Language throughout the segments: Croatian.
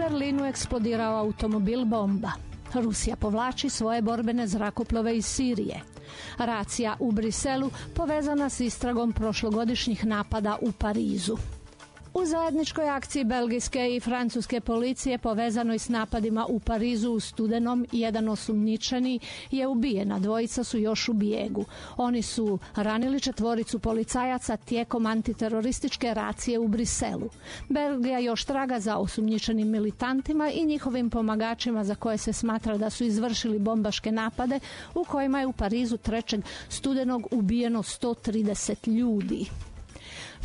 Berlinu eksplodirao automobil bomba. Rusija povlači svoje borbene zrakoplove iz Sirije. Racija u Briselu povezana s istragom prošlogodišnjih napada u Parizu. U zajedničkoj akciji belgijske i francuske policije povezanoj s napadima u Parizu u studenom, jedan osumnjičeni je ubijen, a dvojica su još u bijegu. Oni su ranili 4 policajaca tijekom antiterorističke racije u Briselu. Belgija još traga za osumnjičenim militantima i njihovim pomagačima za koje se smatra da su izvršili bombaške napade u kojima je u Parizu 3. studenog ubijeno 130 ljudi.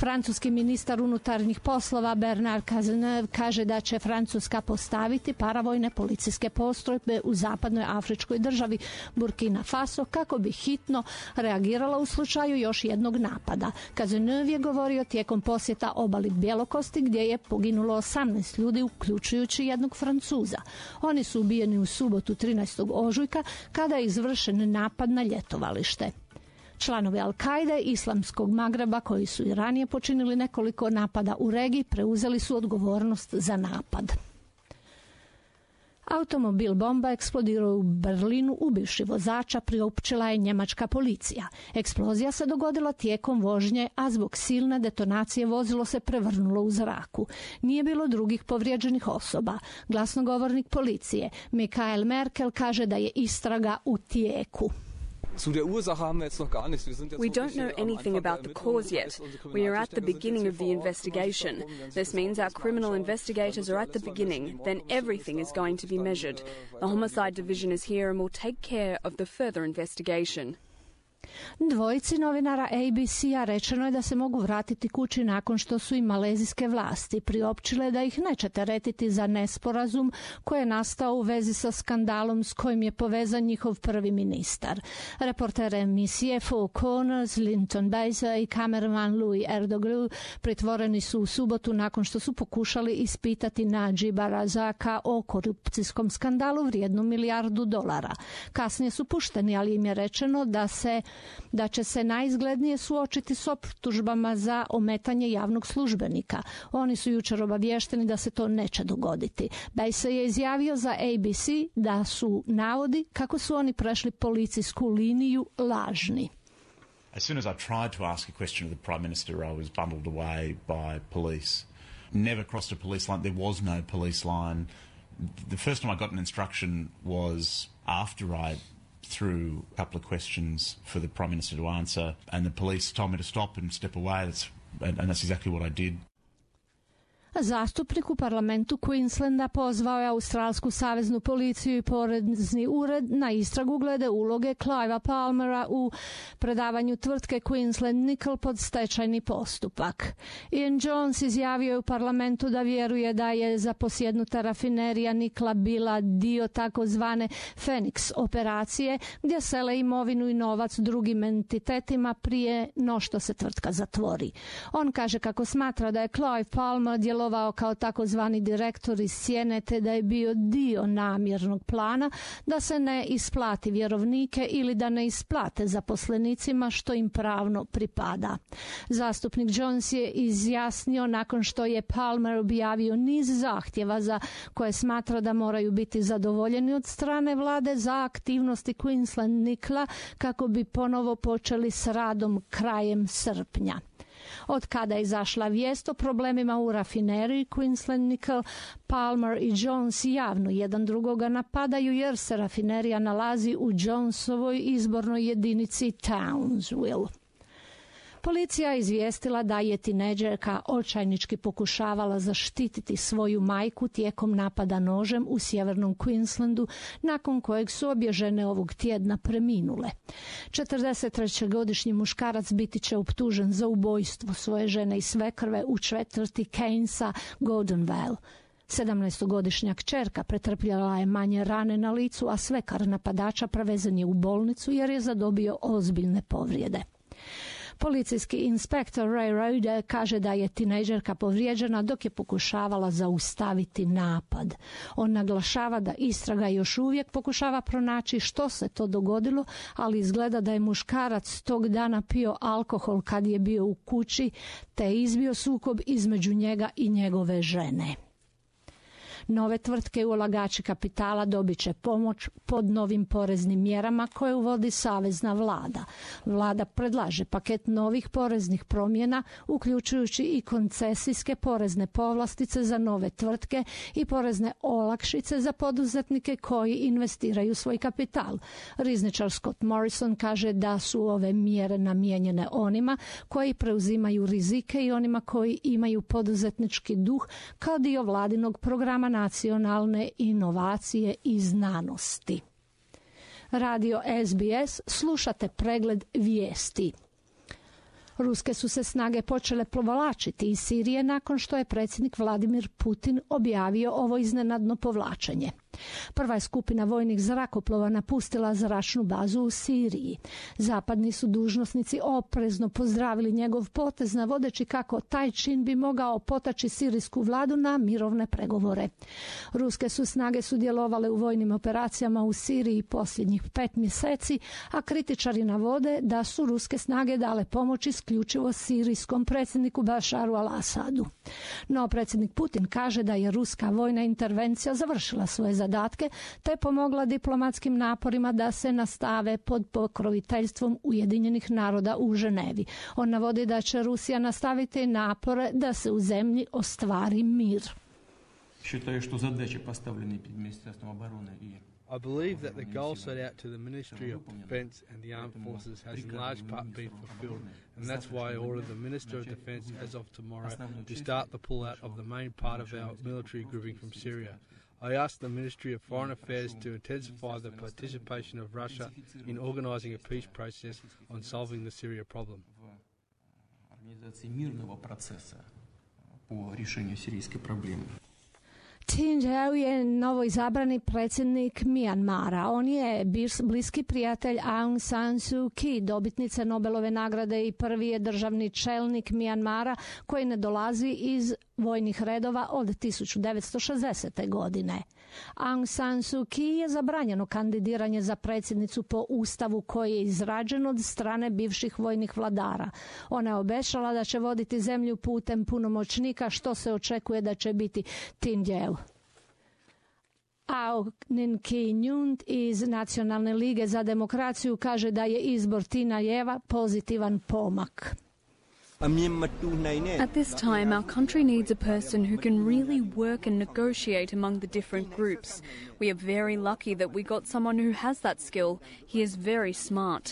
Francuski ministar unutarnjih poslova Bernard Cazeneuve kaže da će Francuska postaviti paravojne policijske postrojbe u zapadnoj afričkoj državi Burkina Faso kako bi hitno reagirala u slučaju još jednog napada. Cazeneuve je govorio tijekom posjeta obali Bjelokosti gdje je poginulo 18 ljudi uključujući jednog Francuza. Oni su ubijeni u subotu 13. ožujka kada je izvršen napad na ljetovalište. Članovi Al-Kaide Islamskog Magreba koji su i ranije počinili nekoliko napada u regiji preuzeli su odgovornost za napad. Automobil bomba eksplodirao u Berlinu ubivši vozača, priopćila je njemačka policija. Eksplozija se dogodila tijekom vožnje, a zbog silne detonacije vozilo se prevrnulo u zraku. Nije bilo drugih povrijeđenih osoba. Glasnogovornik policije Michael Merkel kaže da je istraga u tijeku. We don't know anything about the cause yet. We are at the beginning of the investigation. This means our criminal investigators are at the beginning. Then everything is going to be measured. The homicide division is here and will take care of the further investigation. Dvojici novinara ABC-a rečeno je da se mogu vratiti kući nakon što su im malezijske vlasti priopćile da ih neće teretiti za nesporazum koji je nastao u vezi sa skandalom s kojim je povezan njihov prvi ministar. Reporter emisije Four Corners, Linton Baser i kameraman Louis Erdoglu pritvoreni su u subotu nakon što su pokušali ispitati Nadžiba Razaka o korupcijskom skandalu vrijednom $1 milijardu. Kasnije su pušteni, ali im je rečeno da će se najizglednije suočiti s optužbama za ometanje javnog službenika. Oni su jučer obavješteni da se to neće dogoditi. Baser je izjavio za ABC da su navodi kako su oni prešli policijsku liniju lažni. As soon as I tried to ask a question of the Prime Minister, I was bundled away by police. Never crossed a police line. There was no police line. The first time I got an instruction was after I threw a couple of questions for the Prime Minister to answer, and the police told me to stop and step away, and that's exactly what I did. Zastupnik u parlamentu Queenslanda pozvao je australsku saveznu policiju i porezni ured na istragu glede uloge Clivea Palmera u predavanju tvrtke Queensland Nickel pod stečajni postupak. Ian Jones izjavio je u parlamentu da vjeruje da je zaposjednuta rafinerija nikla bila dio takozvane Phoenix operacije gdje sele imovinu i novac drugim entitetima prije no što se tvrtka zatvori. On kaže kako smatra da je Clive Palmer djelovao kao takozvani direktor iz sjene te da je bio dio namjernog plana da se ne isplati vjerovnike ili da ne isplate zaposlenicima što im pravno pripada. Zastupnik Jones je izjasnio nakon što je Palmer objavio niz zahtjeva za koje smatra da moraju biti zadovoljeni od strane vlade za aktivnosti Queensland Nickel kako bi ponovo počeli s radom krajem srpnja. Od kada je izašla vijest o problemima u rafineriji Queensland Nickel, Palmer i Jones javno jedan drugoga napadaju jer se rafinerija nalazi u Jonesovoj izbornoj jedinici Townsville. Policija je izvijestila da je tinejdžerka očajnički pokušavala zaštititi svoju majku tijekom napada nožem u sjevernom Queenslandu, nakon kojeg su obje žene ovog tjedna preminule. 43-godišnji muškarac biti će optužen za ubojstvo svoje žene i svekrve u četvrti Keynesa Gordonvale. 17-godišnja kćerka pretrpjela je manje rane na licu, a svekar napadača prevezen je u bolnicu jer je zadobio ozbiljne povrijede. Policijski inspektor Ray Rode kaže da je tinejdžerka povrijeđena dok je pokušavala zaustaviti napad. On naglašava da istraga još uvijek pokušava pronaći što se to dogodilo, ali izgleda da je muškarac tog dana pio alkohol kad je bio u kući, te je izbio sukob između njega i njegove žene. Nove tvrtke i ulagači kapitala dobit će pomoć pod novim poreznim mjerama koje uvodi savezna vlada. Vlada predlaže paket novih poreznih promjena, uključujući i koncesijske porezne povlastice za nove tvrtke i porezne olakšice za poduzetnike koji investiraju svoj kapital. Rizničar Scott Morrison kaže da su ove mjere namijenjene onima koji preuzimaju rizike i onima koji imaju poduzetnički duh kao dio vladinog programa nacionalne inovacije i znanosti. Radio SBS, slušate pregled vijesti. Ruske su se snage počele povlačiti iz Sirije nakon što je predsjednik Vladimir Putin objavio ovo iznenadno povlačenje. Prva je skupina vojnih zrakoplova napustila zračnu bazu u Siriji. Zapadni su dužnosnici oprezno pozdravili njegov potez, navodeći kako taj čin bi mogao potaći sirijsku vladu na mirovne pregovore. Ruske su snage sudjelovale u vojnim operacijama u Siriji posljednjih 5 mjeseci, a kritičari navode da su ruske snage dale pomoć isključivo sirijskom predsjedniku Bašaru al-Asadu. No predsjednik Putin kaže da je ruska vojna intervencija završila svoje zadatke te pomogla diplomatskim naporima da se nastave pod pokroviteljstvom Ujedinjenih naroda u Ženevi. On navodi da će Rusija nastaviti napore da se u zemlji ostvari mir. I believe that the goal set out to the Ministry of Defence and the Armed Forces has in large part been fulfilled, and that's why I ordered the Minister of Defence as of tomorrow to start the pull-out of the main part of our military grouping from Syria. I asked the Ministry of Foreign Affairs to intensify the participation of Russia in organising a peace process on solving the Syria problem. Tin Jeu je novoizabrani predsjednik Mijanmara. On je bliski prijatelj Aung San Suu Kyi, dobitnice Nobelove nagrade i prvi je državni čelnik Mijanmara koji ne dolazi iz vojnih redova od 1960. godine. Aung San Suu Kyi je zabranjeno kandidiranje za predsjednicu po ustavu koji je izrađen od strane bivših vojnih vladara. Ona je obećala da će voditi zemlju putem punomoćnika, što se očekuje da će biti Tin Jeu. Aung Kyi Nyunt iz Nacionalne lige za demokraciju kaže da je izbor Tina Jeva pozitivan pomak. At this time, our country needs a person who can really work and negotiate among the different groups. We are very lucky that we got someone who has that skill. He is very smart.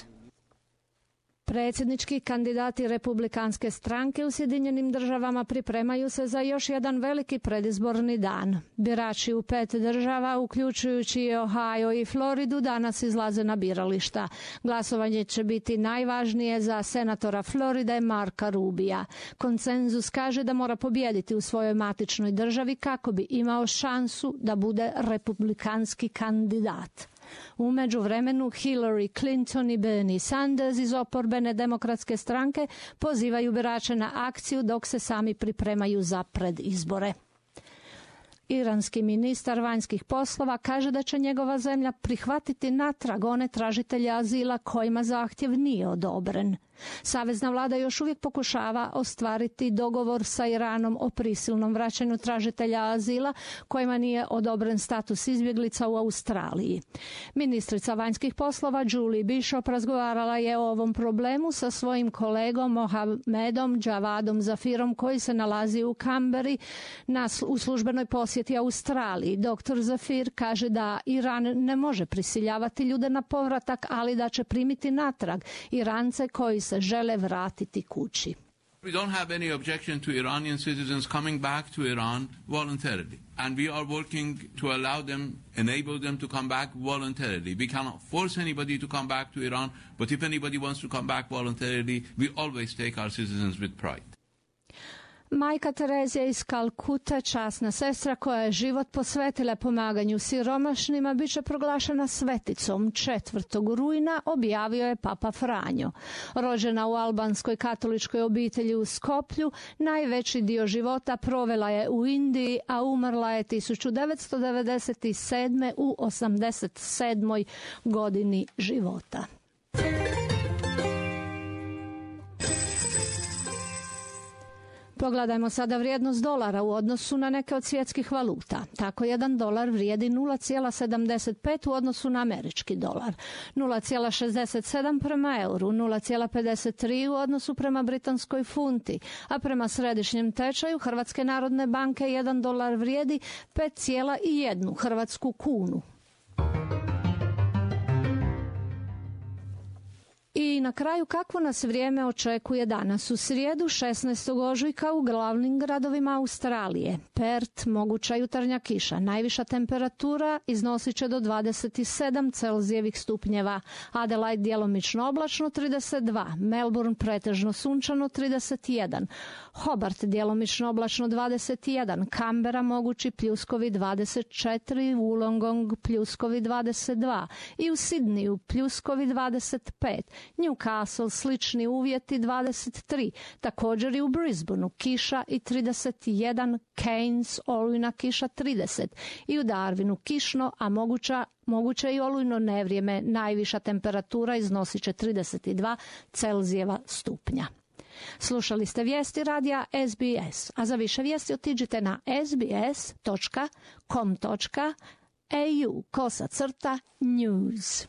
Predsjednički kandidati Republikanske stranke u Sjedinjenim državama pripremaju se za još jedan veliki predizborni dan. Birači u 5 država, uključujući i Ohio i Floridu, danas izlaze na birališta. Glasovanje će biti najvažnije za senatora Floride Marka Rubija. Konsenzus kaže da mora pobijediti u svojoj matičnoj državi kako bi imao šansu da bude republikanski kandidat. U međuvremenu Hillary Clinton i Bernie Sanders iz oporbene demokratske stranke pozivaju birače na akciju dok se sami pripremaju za predizbore. Iranski ministar vanjskih poslova kaže da će njegova zemlja prihvatiti natrag one tražitelje azila kojima zahtjev nije odobren. Savezna vlada još uvijek pokušava ostvariti dogovor sa Iranom o prisilnom vraćanju tražitelja azila kojima nije odobren status izbjeglica u Australiji. Ministrica vanjskih poslova Julie Bishop razgovarala je o ovom problemu sa svojim kolegom Mohamedom Javadom Zafirom koji se nalazi u Kamberi u službenoj posjeti Australiji. Dr. Zafir kaže da Iran ne može prisiljavati ljude na povratak, ali da će primiti natrag Irance koji se žele vratiti kući. We don't have any objection to Iranian citizens coming back to Iran voluntarily. And we are working to allow them, enable them to come back voluntarily. We cannot force anybody to come back to Iran, but if anybody wants to come back voluntarily, we always take our citizens with pride. Majka Terezija iz Kalkute, časna sestra koja je život posvetila pomaganju siromašnima, bit će proglašena sveticom 4. rujna, objavio je Papa Franjo. Rođena u albanskoj katoličkoj obitelji u Skoplju, najveći dio života provela je u Indiji, a umrla je 1997. u 87. godini života. Pogledajmo sada vrijednost dolara u odnosu na neke od svjetskih valuta. Tako $1 vrijedi 0,75 u odnosu na američki dolar, 0,67 prema euru, 0,53 u odnosu prema britanskoj funti, a prema središnjem tečaju Hrvatske narodne banke $1 vrijedi 5,1 hrvatsku kunu. I na kraju, kakvo nas vrijeme očekuje danas u srijedu 16. ožujka u glavnim gradovima Australije? Perth, moguća jutarnja kiša, najviša temperatura iznosit će do 27 Celzijevih stupnjeva. Adelaide djelomično oblačno 32, Melbourne pretežno sunčano 31, Hobart djelomično oblačno 21, Canberra mogući pljuskovi 24, Wollongong pljuskovi 22 i u Sidneyu pljuskovi 25. Newcastle slični uvjeti 23, također i u Brisbaneu kiša i 31, Cairns olujna kiša 30 i u Darwinu kišno, a moguće i olujno nevrijeme, najviša temperatura iznosit će 32 Celzijeva stupnja. Slušali ste vijesti radija SBS, a za više vijesti otiđite na sbs.com.au/news.